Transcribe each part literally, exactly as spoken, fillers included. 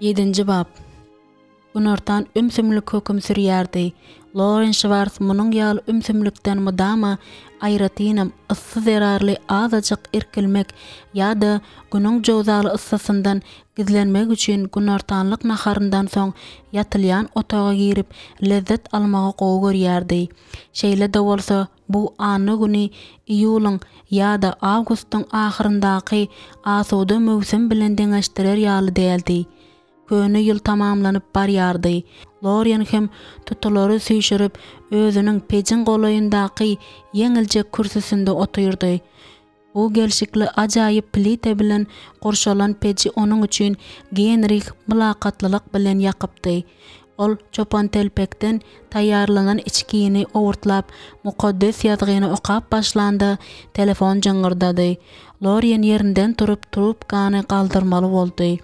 Ýedinji bap. Günortan ümsümlik höküm sürýärdi. Loren Şwars munuň ýaly ümsümlikden mydama, aýratynam, yssy zerarly azajyk irkilmek ýa-da günüň jöwzaly yssysyndan gizlenmek üçin günortanlyk naharyndan soň ýatylýan otaga girip lezzet almagy gowy görýärdi. Şeýle-de bolsa, bu anna güni iýulyň ýa-da awgustyň ahyryndaky asuda möwsüm bilen deňeşdirer ýaly däldi. Köne ýyl tamamlanyp barýardy. Lorien hem tutulary süýşürip, özüniň pejiň golaýyndaky ýeňiljek kürsüsinde otyrdy. Bu gelşikli ajaýyp plita bilen gurşalan peji onuň üçin Genrih mylakatlylyk bilen ýakypdy. Ol çopantelpekden taýýarlanan içgini owurtlap, Mukaddes Ýazgyny okap başlanda, telefon jyňňyrdady. Lorien ýerinden turup, trubkany galdyrmaly boldy.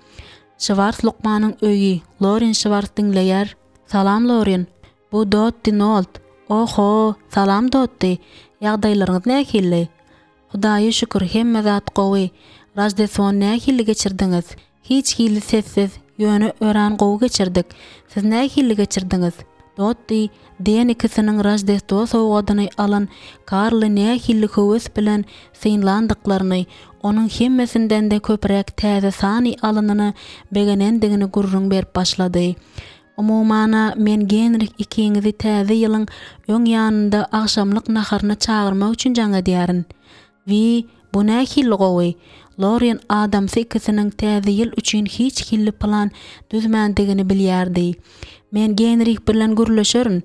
Şwars lukmanyň öýi, Lorien Şwars diňleýär. Salam, Lorien. Bu Dotti Nolt. Oho, salam Dotti. Ýagdaýlaryňyz nähili? Hudaýa şükür, hemme zat gowy. Roždestwony nähili geçirdiňiz? Hiç hili sessiz, ýöne örän gowy geçirdik. Siz nähili geçirdiňiz? Dotti Den ikisiniň roždestwo sowgadyny alan Karly nähili höwes bilen synlandyklaryny, onuň hemmesinden-de köpräk täze sany alanyna begenendigini gürrüň berip başlady. Umuman-a, men Genrih ikiňizi Täze ýylyň öň ýanynda agşamlyk naharyna çagyrmak üçin jaň edýärin. Wiý, bu nähili gowy! Lorien adamsy ikisiniň Täze ýyl üçin hiç hili plan düzmändigini bilýärdi. Men Genrih bilen gürleşerin,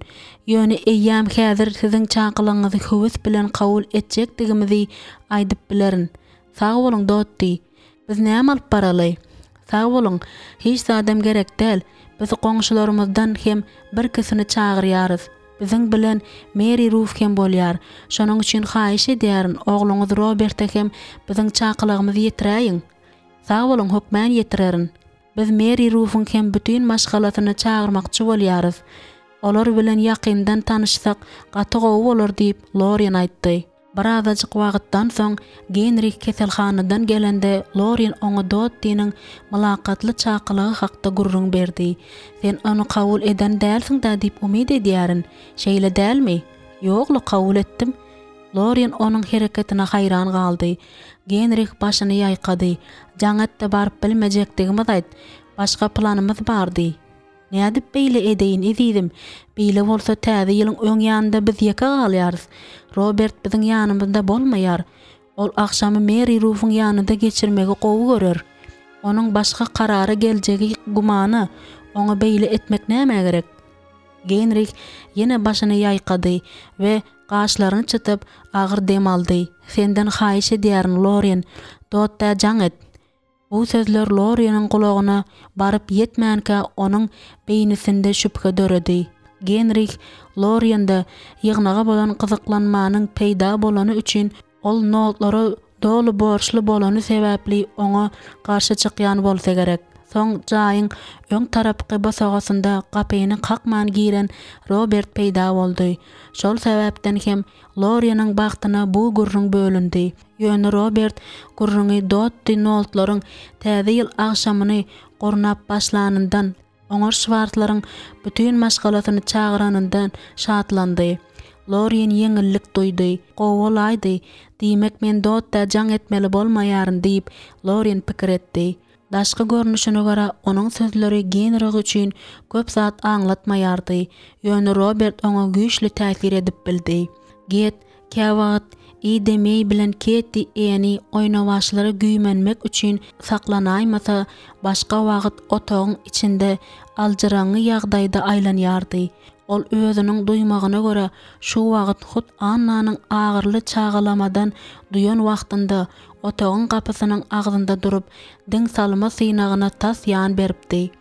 ýöne eýýäm häzir siziň çakylygyňyzy höwes bilen kabul etjekdigimizi aýdyp bilerin. Sag boluň, Dotti. Biz näme alyp baraly? Sag boluň, hiç zadam gerek däl. Biz goňşularymyzdan hem birkisini çagyrýarys. Biziň bilen Meri Ruf hem bolýar. Şonuň üçin haýyş edýärin, ogluňyz Roberte hem biziň çakylygymyzy ýetiräýiň. Sag boluň, hökmän ýetirerin. Biz Meri Rufuň hem bütin maşgalasyny çagyrmakçy bolýarys. Olar bilen ýakyndan tanyşsak, gaty gowy bolar diýip, Lorien aýtdy. Birazajyk wagtdan soň Genrih keselhanadan gelende Lorin oňa Dottiniň mylakatly çakylygy hakda gürrüň berdi. Sen ony kabul eden dälsiň-dä diýip umyt edýärin, şeýle dälmi? Ýog-la, kabul etdim. Lorin onuň hereketine haýran galdy. Genrih başyny ýaýkady. Jaň et-de baryp bilmejekdigimizi aýt. Başga planymyz bardy. Nädip beýle edeýin, ezizim? Beýle bolsa Täze ýylyň öň ýanynda biz ýeke galýarys. Robert biziň ýanymyzda bolmaýar. Ol agşamy Meri Rufuň ýanynda geçirmegi gowy görer. Onuň başga karara geljegi gümana, oňa beýle etmek nämä gerek? Genrih ýene başyny ýaýkady we gaşlaryny çytyp, agyr dem aldy. Senden haýyş edýärin, Loren, Dottä jaň et. Bu sözler Lorieniň gulagyna baryp ýetmänkä onuň beýnisinde şübhe döredi. Genrih Loriende ýygnaga bolan gyzyklanmanyň peýda bolany üçin ol notlara doly borçly bolany sebäpli oňa garşy çykýan bolsa gerek. Soň jaýyň öň tarapky bosagasynda gapyny kakman giren Robert peýda boldy. Şol sebäpden hem Lorieniň bagtyna bu gürrüň bölündi. Ýöne Robert gürrüňi Dotti Noltlaryň Täze ýyl agşamyny gurnap başlanyndan, oňa Şwarslaryň bütin maşgalasyny çagyranyndan şatlandy. Lorien ýeňillik duýdy. Gowy bolaýdy. Diýmek, men Dottä jaň etmeli bolmaýaryn diýip, Lorien pikir etdi. Daşky görnüşine görä, onuň sözleri Genrih üçin köp zat aňlatmaýardy, ýöne Robert oňa güýçli täsir edip bildi. Get, käwagt Ida Meý bilen Ketti Eni oýnawaçlara güýmenmek üçin saklanaýmasa, başga wagt otagyň içinde aljyraňňy ýagdaýda aýlanýardy. Ol özüniň duýmagyna görä, şu wagt hut Annanyň agyryly çagalamadan duýan wagtynda otagyň gapysynyň agzynda durup, diň salma synagyna tas ýan beripdi.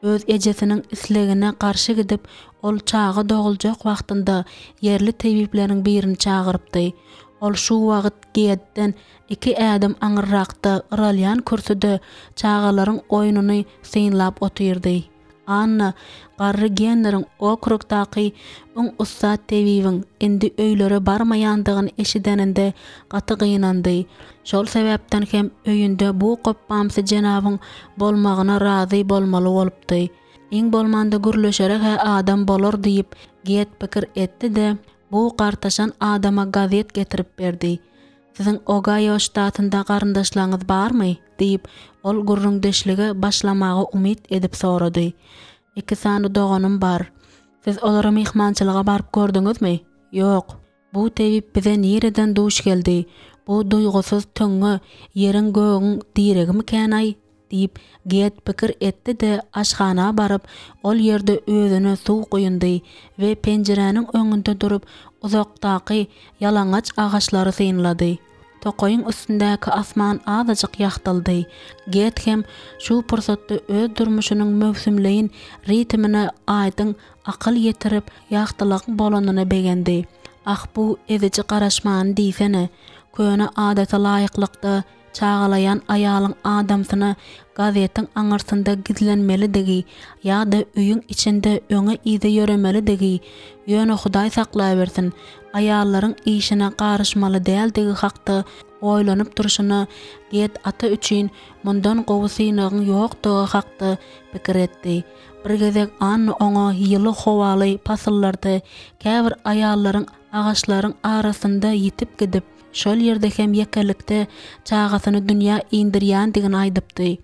Öz ejesiniň islegine garşy gidip, ol çaga doguljak wagtynda ýerli tebipleriň birini çagyrypdy. Ol şu wagt Gedden iki ädim aňyrrakda yralýan kürsüde çagalaryň oýnuny synlap otyrdy. Anna garry Genneriň okrugdaky iň ussat tebibiň indi öýlere barmaýandygyny eşideninde gaty gynandy. Şol sebäpden hem öýünde bu gopbamsy jenabyň bolmagyna razy bolmaly bolupdy. Iň bolmanda gürleşere-hä adam bolar diýip, Get pikir etdi-de, bu gartaşan adama gazet getirip berdi. Siziň Ogaýo ştatynda garyndaşlaryňyz barmy? diýip, ol gürrüňdeşlige başlamaga umyt edip sorady. Iki sany doganym bar. Siz olara myhmançylyga baryp gördüňizmi? Ýok. Bu tebip bize nireden duş geldi? Bu duýgusyz töňňe ýeriň-gögüň diregimikän-aý? Diýip, Get pikir etdi-de, aşhana baryp, ol ýerde özüne suw guýundy we penjiräniň öňünde durup, uzakdaky ýalaňaç agaçlary synlady. Tokaýyň üstündäki asman azajyk ýagtyldy. Get hem şu pursatda öz durmuşynyň möwsümleýin ritmine aýdyň akyl ýetirip, ýagtylygyň bolanyna begendi. Ah, bu eziji garaşmany diýsene! Köne adata laýyklykda, çagalaýan aýalyň adamsyna gazetiň aňyrsynda gizlenmelidigi ýa-da öýüň içinde öňe-yza ýöremelidigi, ýöne Hudaý saklawersin, aýallaryň işine garyşmaly däldigi hakda oýlanyp durşuna Get ata üçin mundan gowy synagyň ýokdugy hakda pikir etdi. Bir gezek Anna oňa ýyly howaly pasyllarda käbir aýallaryň agaçlaryň arasynda ýitip gidip, şol ýerde hem ýekelikde çagasyny dünýä indirýändigini aýdypdy.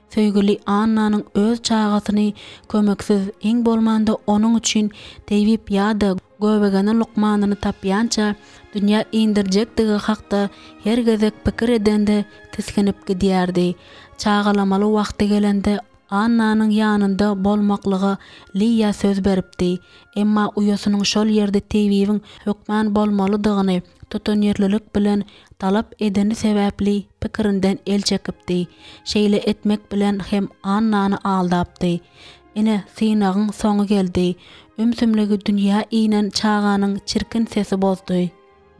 Söýgüli Annanyň öz çagasyny kömeksiz, iň bolmanda onuň üçin tebip ýa-da göbegene lukmanyny tapýança dünýä indirjekdigi hakda her gezek pikir edende tisginip gidýärdi. Çagalamaly wagty gelende Annanyň ýanynda bolmaklyga Liýa söz beripdi. Emma uýasynyň şol ýerde tebibiň hökman bolmalydygyny tutanýerlilik bilen talap edeni sebäpli pikirinden el çekipdi. Şeýle etmek bilen hem Annany aldapdy. Ine, synagyň soňy geldi. Ümsümligi dünýä inen çaganyň çirkin sesi bozdy.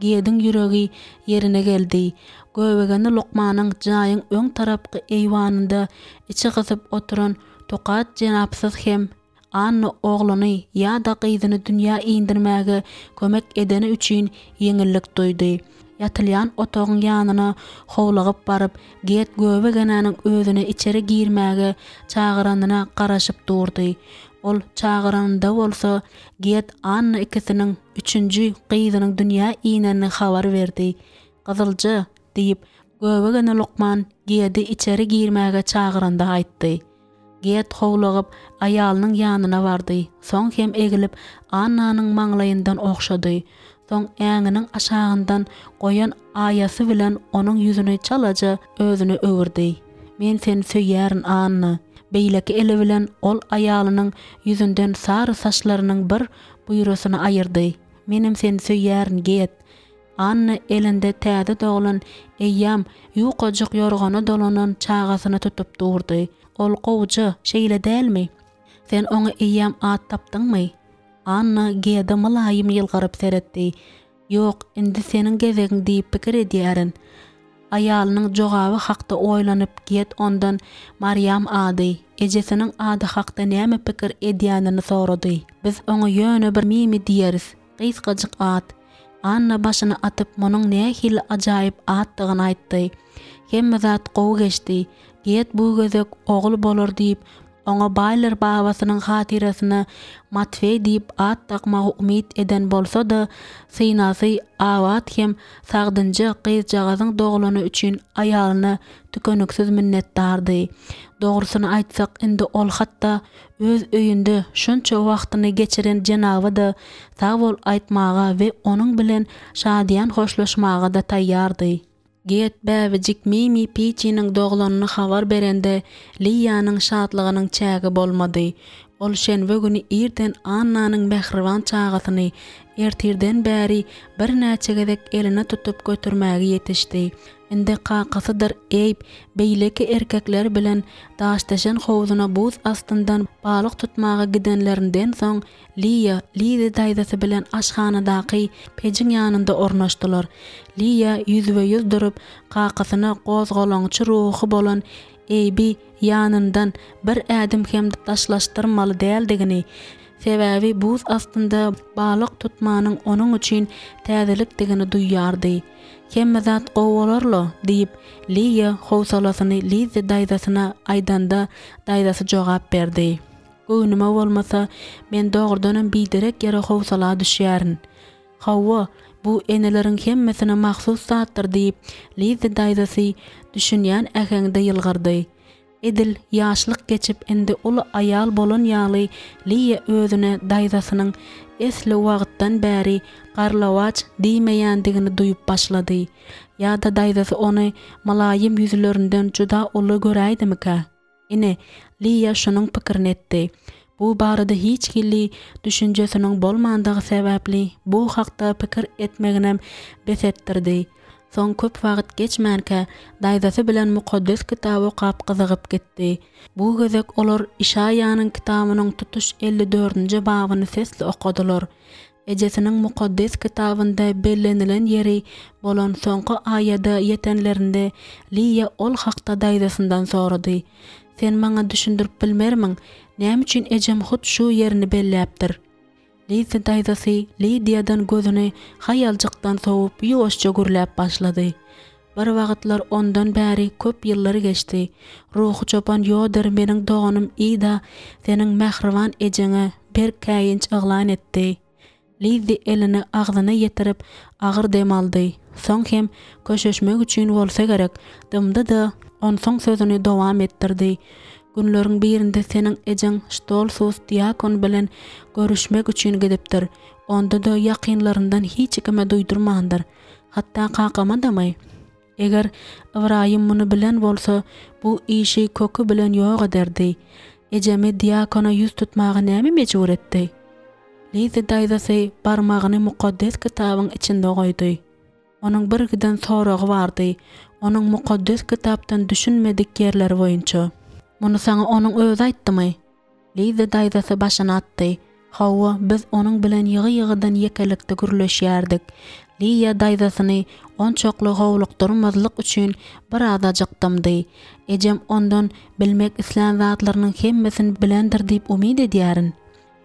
Gediň ýüregi ýerine geldi. Göbegeni lukmanyň jaýyň öň tarapky eýwanynda içi gysyp oturan Tokat jenapsyz hem Anna ogluny ýa-da gyzyny dünýä indirmäge kömek edeni üçin ýeňillik duýdy. Ýatylýan otagyň ýanyna howlugyp baryp, Get göbegenäniň özüni içeri girmäge çagyranyna garaşyp durdy. Ol çagyranynda bolsa, Get Anna ikisiniň üçünji gyzynyň dünýä inenini habar berdi. Gyzylja! diýip, göbegene lukman Gedi içeri girmäge çagyranda aýtdy. Ged howlugyp, aýalynyň ýanyna bardy, soň hem egilip, Annanyň maňlaýyndan ogşady. Soň äňiniň aşagyndan goýan aýasy bilen onuň ýüzüni çalaja özüne öwürdi. Men seni söýýärin, Anna. Beýleki eli bilen ol aýalynyň ýüzünden sary saçlarynyň bir buýrasyny aýyrdy. Menem seni söýýärin, Ged. Anna elinde täze doglan, eýýäm ýukajyk ýorgana dolanan çagasyny tutup durdy. Ol gowuja, şeýle dälmi? Sen oňa eýýäm at tapdyňmy? Anna Gede mylaýym ýylgyryp seretdi. Ýok, indi seniň gezegiň diýip pikir edýärin. Aýalynyň jogaby hakda oýlanyp Ged ondan Marýam ady, ejesiniň ady hakda näme pikir edýänini sorady. Biz oňa ýöne bir Mimi diýeris. Gysgajyk at. Anna başyny atyp munuň nähili ajaýyp atdygyny aýtdy. Hemme zat gowy geçdi. Ged bu gezek ogul bolar diýip, oňa Baýler babasynyň hatyrasyna Matfeý diýip at dakmagy umyt eden bolsa-da, synasy abat hem sagdynja gyzjagazyň doglany üçin aýalyna tükeniksiz minnetdardy. Dogrusyny aýtsak, indi ol hatda öz öýünde şunça wagtyny geçiren jenaba-da sag bol aýtmaga we onuň bilen şadyýan hoşlaşmaga-da taýýardy. Get bäbejik Mimi Piçiniň doglanyny habar berende, Liýanyň şatlygynyň çägi bolmady. Ol şenbe güni irden Annanyň mähriban çagasyny ertirden bäri birnäçe gezek eline tutup götermäge ýetişdi. Indi kakasydyr Eýb beýleki erkekler bilen daşdeşen howzuna buz astyndan balyk tutmaga gidenlerinden soň, Liýa Lizi daýzasy bilen aşhanadaky pejiň ýanynda ornaşdylar. Liýa ýüzbe-ýüz durup, kakasyna gozgalaňçy ruhy bolan Eýbi ýanyndan bir ädim hem daşlaşdyrmaly däldigini, sebäbi buz astynda balyk tutmanyň onuň üçin täzelikdigini duýýardy. Hemme zat gowy bolar-la, diýip, Liýa howsalasyny Lizzi daýzasyna aýdanda, daýzasy jogap berdi. Göwnüme bolmasa, men dogrudanam biderek ýere howsala düşýärin. Hawa, bu eneleriň hemmesine mahsus zatdyr, diýip, Lizzi daýzasy düşünýän äheňde ýylgyrdy. Edil ýaşlyk geçip indi uly aýal bolan ýaly Liýa özüne daýzasynyň esli wagtdan bäri garlawaç diýmeýändigini duýup başlady. Ýa-da daýzasy ony mylaýym ýüzlerinden juda uly göräýdimikä? Ine, Liýa şunuň pikirini etdi. Bu barada hiç hili düşünjesiniň bolmandygy sebäpli bu hakda pikir etmeginem bes etdirdi. Soň köp wagt geçmänkä, daýzasy bilen Mukaddes Kitaby okap gyzygyp gitdi. Bu gezek olar Işaýanyň kitabynyň tutuş elli dördünji babyny sesli okadylar. Ejesiniň Mukaddes Kitabynda bellenilen ýeri bolan soňky aýada ýetenlerinde Liýa ol hakda daýzasyndan sorady. Sen maňa düşündirip bilmermiň, näme üçin ejem hut şu ýerini belläpdir? Lizzi daýzasy Lidiýadan gözüni haýaljykdan sowup ýuwaşja gürläp başlady. Bir wagtlar ondan bäri köp ýyllar geçdi. Ruhy çopan Ýoder meniň doganym Ida seniň mähriban ejeňe berk käýinç yglan etdi. Lizzi elini agzyna ýetirip, agyr dem aldy. Soň hem köşeşmek üçin bolsa gerek, dymdy-da, onsoň sözüni dowam etdirdi, Günleriň birinde seniň ejeň Ştolsus diakon bilen görüşmek üçin gidipdir. Onda-da ýakynlaryndan hiç kime duýdurmandyr. Hatda kakama-damy? Eger Ybraýym muny bilen bolsa, bu işi köki bilen ýok ederdi. Ejemi diakona ýüz tutmaga näme mejbur etdi? Lizzi daýzasy barmagyny Mukaddes Kitabyň içinde goýdy. Onuň birgiden soragy bardy, onuň Mukaddes Kitapdan düşünmedik ýerleri boýunça. Muny saňa onuň özi aýtdymy? Lizzi daýzasy başyny atdy. Hawa, biz onuň bilen ýygy-ýygydan ýekelikde gürleşýärdik. Liýa daýzasyny onçakly howlukdyrmazlyk üçin birazajyk dymdy. Ejem ondan bilmek islän zatlarynyň hemmesini bilendir diýip umyt edýärin.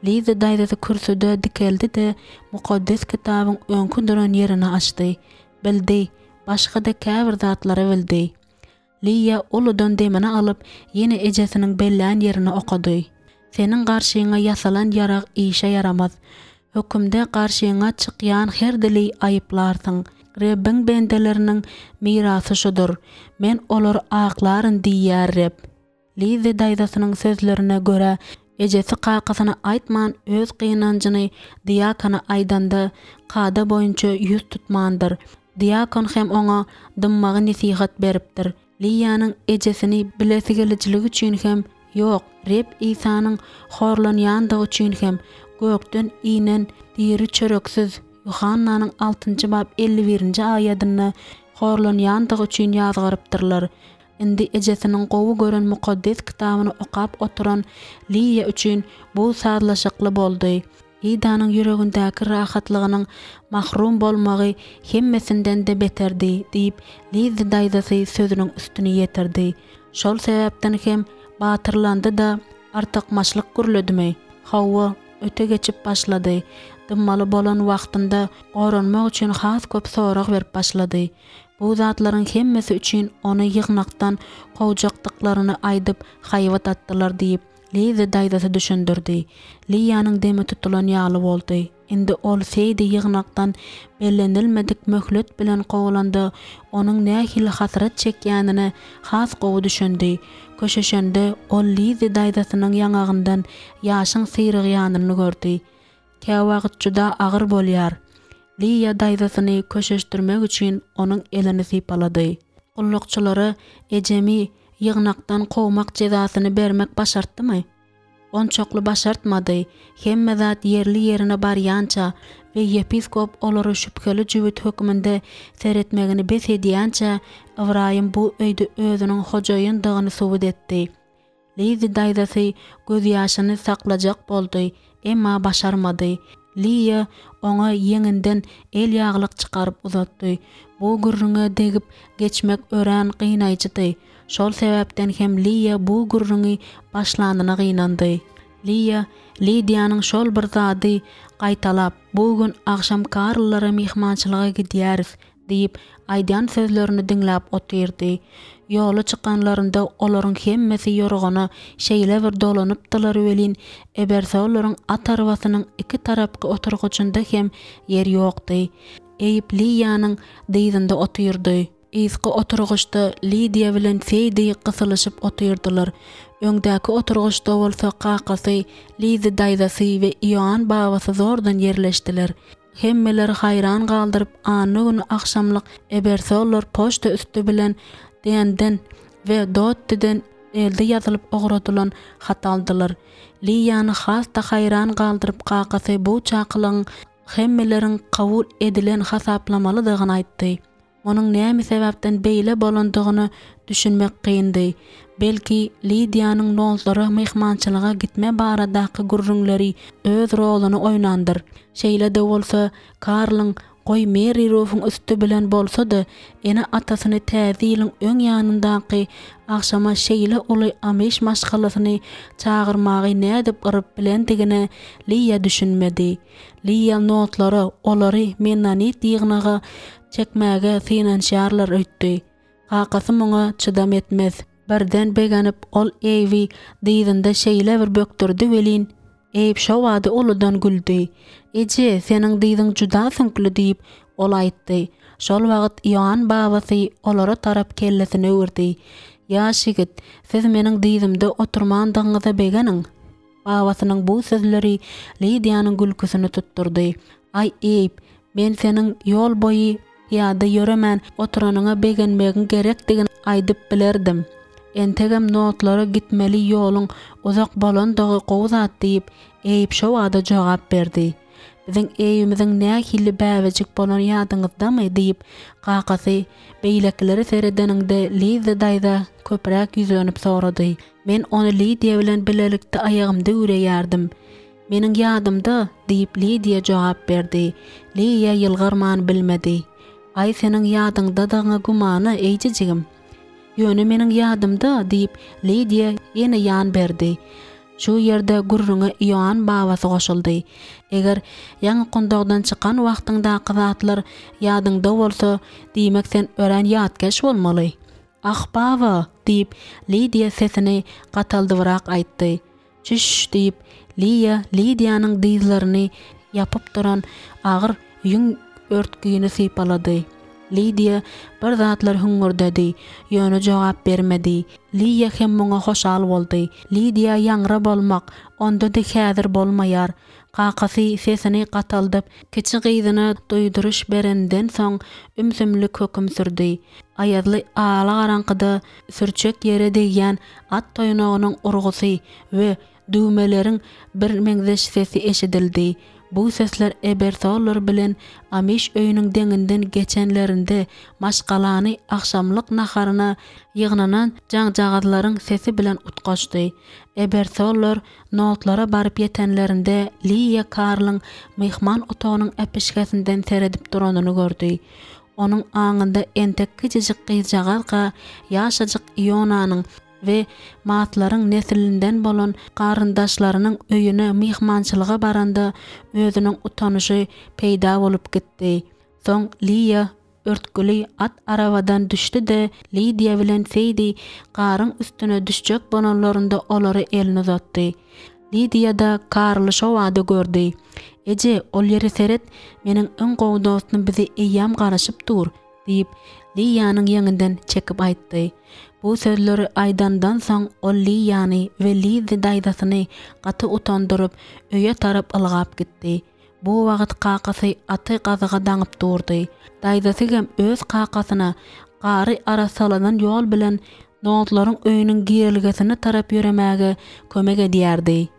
Lizzi daýzasy kürsüde dikeldi-de, Mukaddes Kitabyň öňki duran ýerini açdy. Bildi, başga-da käbir zatlary bildi. Liýa uludan demini alyp, ýene ejesiniň bellän ýerini okady. Seniň garşyňa ýasalan ýarag işe ýaramaz. Hökümde garşyňa çykýan her dili aýyplarsyň. Rebbiň bendeleriniň mirasy şudur, Men olary aklaryn diýýär Reb. Lizzi daýzasynyň sözlerine görä, ejesi kakasyna aýtman öz gynanjyny diakona aýdanda, kada boýunça ýüz tutmandyr. Diakon hem oňa dymmagy nesihat beripdir. Liýanyň ejesini bilesigelijiligi üçin hem, ýok, Reb Isanyň horlanýandygy üçin hem, gökden inen diri çöreksiz, Ýuhannanyň altynjy bap elli birinji aýadynda, horlanýandygy üçin ýazgarypdyrlar. Indi ejesiniň gowy gören Mukaddes Kitabyny okap oturan Liýa üçin bu sazlaşykly boldy. Idanyň ýüregindäki rahatlygynyň mahrum bolmagy hemmesinden-de beterdi, diýip, Lizzi daýzasy sözüniň üstüni ýetirdi. Şol sebäpden hem batyrlandy-da, artykmaçlyk gürledimi? Hawa, öte geçip başlady. Dymmaly bolan wagtynda goranmak üçin has köp sorag berip başlady. Bu zatlaryň hemmesi üçin ony ýygnakdan kowjakdyklaryny aýdyp, haýbat atdylar diýip, Liza daýzasy düşündirdi. Liýanyň demi tutulan ýaly boldy. Indi ol Seýdi ýygnakdan bellenilmedik möhlet bilen kowlanda, onuň nähili hasrat çekýänine has gowy düşündi. Köşeşende, ol Lizi daýzasynyň ýaňagyndan ýaşyň syrygýanyny gördi. Käwagt juda agyr bolýar. Liýa daýzasyny köşeşdirmek üçin onuň elini sypalady. Gullukçylara ejemi ýygnakdan kowmak jezasyny bermek başartdymy? Onçakly başartmady. Hemme zat ýerli-ýerine barýança we ýepiskop olara şübheli jübüt hökmünde seretmegini bes edýänçä, Ybraýym bu öýde özüniň hojaýyndygyny subut etdi. Lizzi daýzasy gözýaşyny saklajak boldy, emma başarmady. Liýa oňa ýeňinden elýaglyk çykaryp uzatdy. Bu gürrüňe degip geçmek örän gynaýjydy. Şol sebäpden hem Liýa bu gürrüňi başlanyna gynandy. Liýa Lidiýanyň şol bir zady gaýtalap, Bu gün agşam Karllara myhmançylyga gidýäris diýip, aýdýan sözlerini diňläp otyrdy. Ýola çykanlarynda olaryň hemmesi ýorgana şeýle bir dolanypdylar welin, Ebersollaryň at arbasynyň iki tarapky oturgyjynda hem ýer ýokdy. Eýb Liýanyň dyzynda otyrdy. Yzky oturgyçda Lidiýa bilen Seýdi gysylyşyp otyrdylar. Öňdäki oturgyçda bolsa kakasy, Lizi daýzasy we Ioann babasy zordan ýerleşdiler. Hemmeleri haýran galdyryp anna güni agşamlyk Ebersollar poçta üsti bilen Denden we Dottiden elde ýazylyp ugradylan hat aldylar. Liýany has-da haýran galdyryp kakasy bu çakylygyň hemmeleriň kabul edilen hasaplamalydygyny aýtdy. Munuň näme sebäpden beýle bolandygyna düşünmek kyndy. Belki, Lidiýanyň Nollara myhmançylyga gitme baradaky gürrüňleri öz roluny oýnandyr. Şeýle-de bolsa, Karlyň, goý, Merri Rufuň üsti bilen bolsa-da, ene-atasyny Täze ýylyň öň ýanyndaky agşama şeýle uly amiş maşgalasyny çagyrmagy nädip yryp bilendigine Liýa düşünmedi. Liýa Nollara olary mennonit ýygnaga çekmäge synanyşarlar öýtdi. Kakasy muňa çydam etmez. Birden begenip, ol Eýbi dyzynda şeýle bir bökdürdi welin, Eýb şo bada uludan güldi. Eje, seniň dyzyň juda süňkli diýip, ol aýtdy. Şol wagt Ioann babasy olara tarap kellesini öwürdi. Ýaş ýigit, siz meniň dyzymda oturmandygyňyza begeniň. Babasynyň bu sözleri Lidiýanyň gülküsini tutdurdy. Aý, Eýb, men seniň ýol boýy pyýada ýöremän oturanyňa begenmegiň gerekdigini aýdyp bilerdim. Entegem notlara gitmeli ýoluň uzak bolandygy gowy zat diýip, Eýb şo bada jogap berdi. Biziň Eýbimiziň nähili bäbejik bolany ýadyňyzdamy? diýip, kakasy beýlekilere seredeninde Lizza daýza köpräk ýüzlenip sorady. Men ony Lidiýa bilen bilelikde aýagymda üwreýärdim. Meniň ýadymda, diýip, Lidiýa jogap berdi. Liýa ýylgyrman bilmedi. Aý, seniň ýadyňdadygyňa gümana, eýjejigim. Ýöne meniň ýadymda, diýip, Lidiýa ýene ýan berdi. Şu ýerde gürrüňe Ioann babasy goşuldy. Eger ýaňy gundagdan çykan wagtyňdaky zatlar ýadyňda bolsa, diýmek sen örän ýatkeş bolmaly. Ah, baba! diýip, Lidiýa sesini gataldybrak aýtdy. Çüş! diýip, Liýa Lidiýanyň dyzlaryny ýapyp duran agyr ýüň örtgüni sypalady. Lidiýa bir zatlar hüňňürdedi, ýöne jogap bermedi. Liýa hem muňa hoşal boldy. Lidiýa ýaňra bolmak, onda-da häzir bolmaýar. Kakasy sesini gataldyp, kiçi gyzyna duýduryş berenden soň ümsümlik höküm sürdi. Aýazly alagaraňkyda sürçek ýere degýän at toýnagynyň urgusy we düwmeleriň birmeňzeş sesi eşidildi. Bu sesler Ebersollar bilen Amiş öýüniň deňinden geçenlerinde maşgalany agşamlyk naharyna ýygnanan jaňjagazlaryň sesi bilen utgaşdy. Ebersollar Notlara baryp ýetenlerinde Liýa Karlyň myhman otagynyň äpişgesinden seredip duranyny gördi. Onuň aňynda entek kiçijik gyzjagazka ýaşajyk Ionanyň we Matlaryň neslinden bolan garyndaşlarynyň öýüne myhmançylyga baranda özüniň utanyşy peýda bolup gitdi. Soň Liýa örtgüli at arabadan düşdi-de, Lidiýa bilen Seýdi garyň üstüne düşjek bolanlarynda olara elini uzatdy. Lidiýa-da Karly şo bada gördi. Eje, ol ýere seret, meniň iň gowy dostum bize eýýäm garaşyp dur, diýip, Liýanyň ýeňinden çekip aýtdy. Bu sözleri aýdandan soň ol Liýany we Lizzi daýzasyny gaty utandyryp, öýe tarap ylgap gitdi. Bu wagt kakasy aty gazyga daňyp durdy. Daýzasy hem öz kakasyna gary arassalanan ýol bilen Nodlaryň öýüniň girelgesine tarap ýöremäge kömek edýärdi.